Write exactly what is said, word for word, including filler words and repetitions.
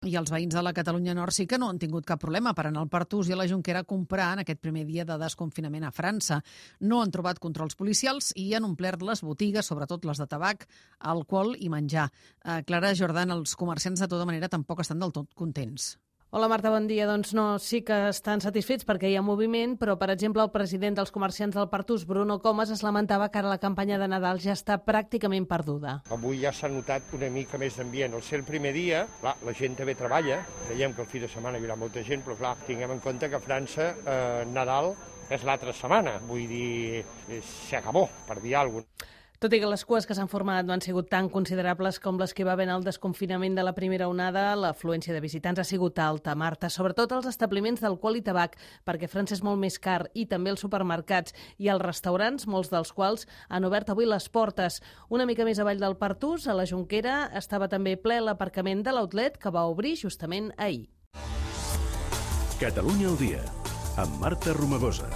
I els veïns de la Catalunya Nord sí que no han tingut cap problema per anar al Pertús i a la Jonquera a comprar en aquest primer dia de desconfinament a França. No han trobat controls policials i han omplert les botigues, sobretot les de tabac, alcohol i menjar. Eh, Clara Jordan, els comerciants de tota manera tampoc estan del tot contents. Hola Marta, bon dia. Doncs no, sí que estan satisfets perquè hi ha moviment, però per exemple el president dels comerciants del Pertús, Bruno Comas, es lamentava que ara la campanya de Nadal ja està pràcticament perduda. Avui ja s'ha notat una mica més d'ambient. Al ser el primer dia, clar, la gent també treballa, creiem que el fi de setmana hi haurà molta gent, però clar, tinguem en compte que a França eh, Nadal és l'altra setmana, vull dir, s'acabó, per dir alguna cosa. Tot i que les cues que s'han format no han sigut tan considerables com les que va haver en el desconfinament de la primera onada, l'afluència de visitants ha sigut alta, Marta, sobretot als establiments d'alcohol i tabac, perquè França és molt més car, i també els supermercats i els restaurants, molts dels quals han obert avui les portes. Una mica més avall del Pertús, a la Jonquera, estava també ple l'aparcament de l'outlet que va obrir justament ahir. Catalunya al dia, amb Marta Romagosa.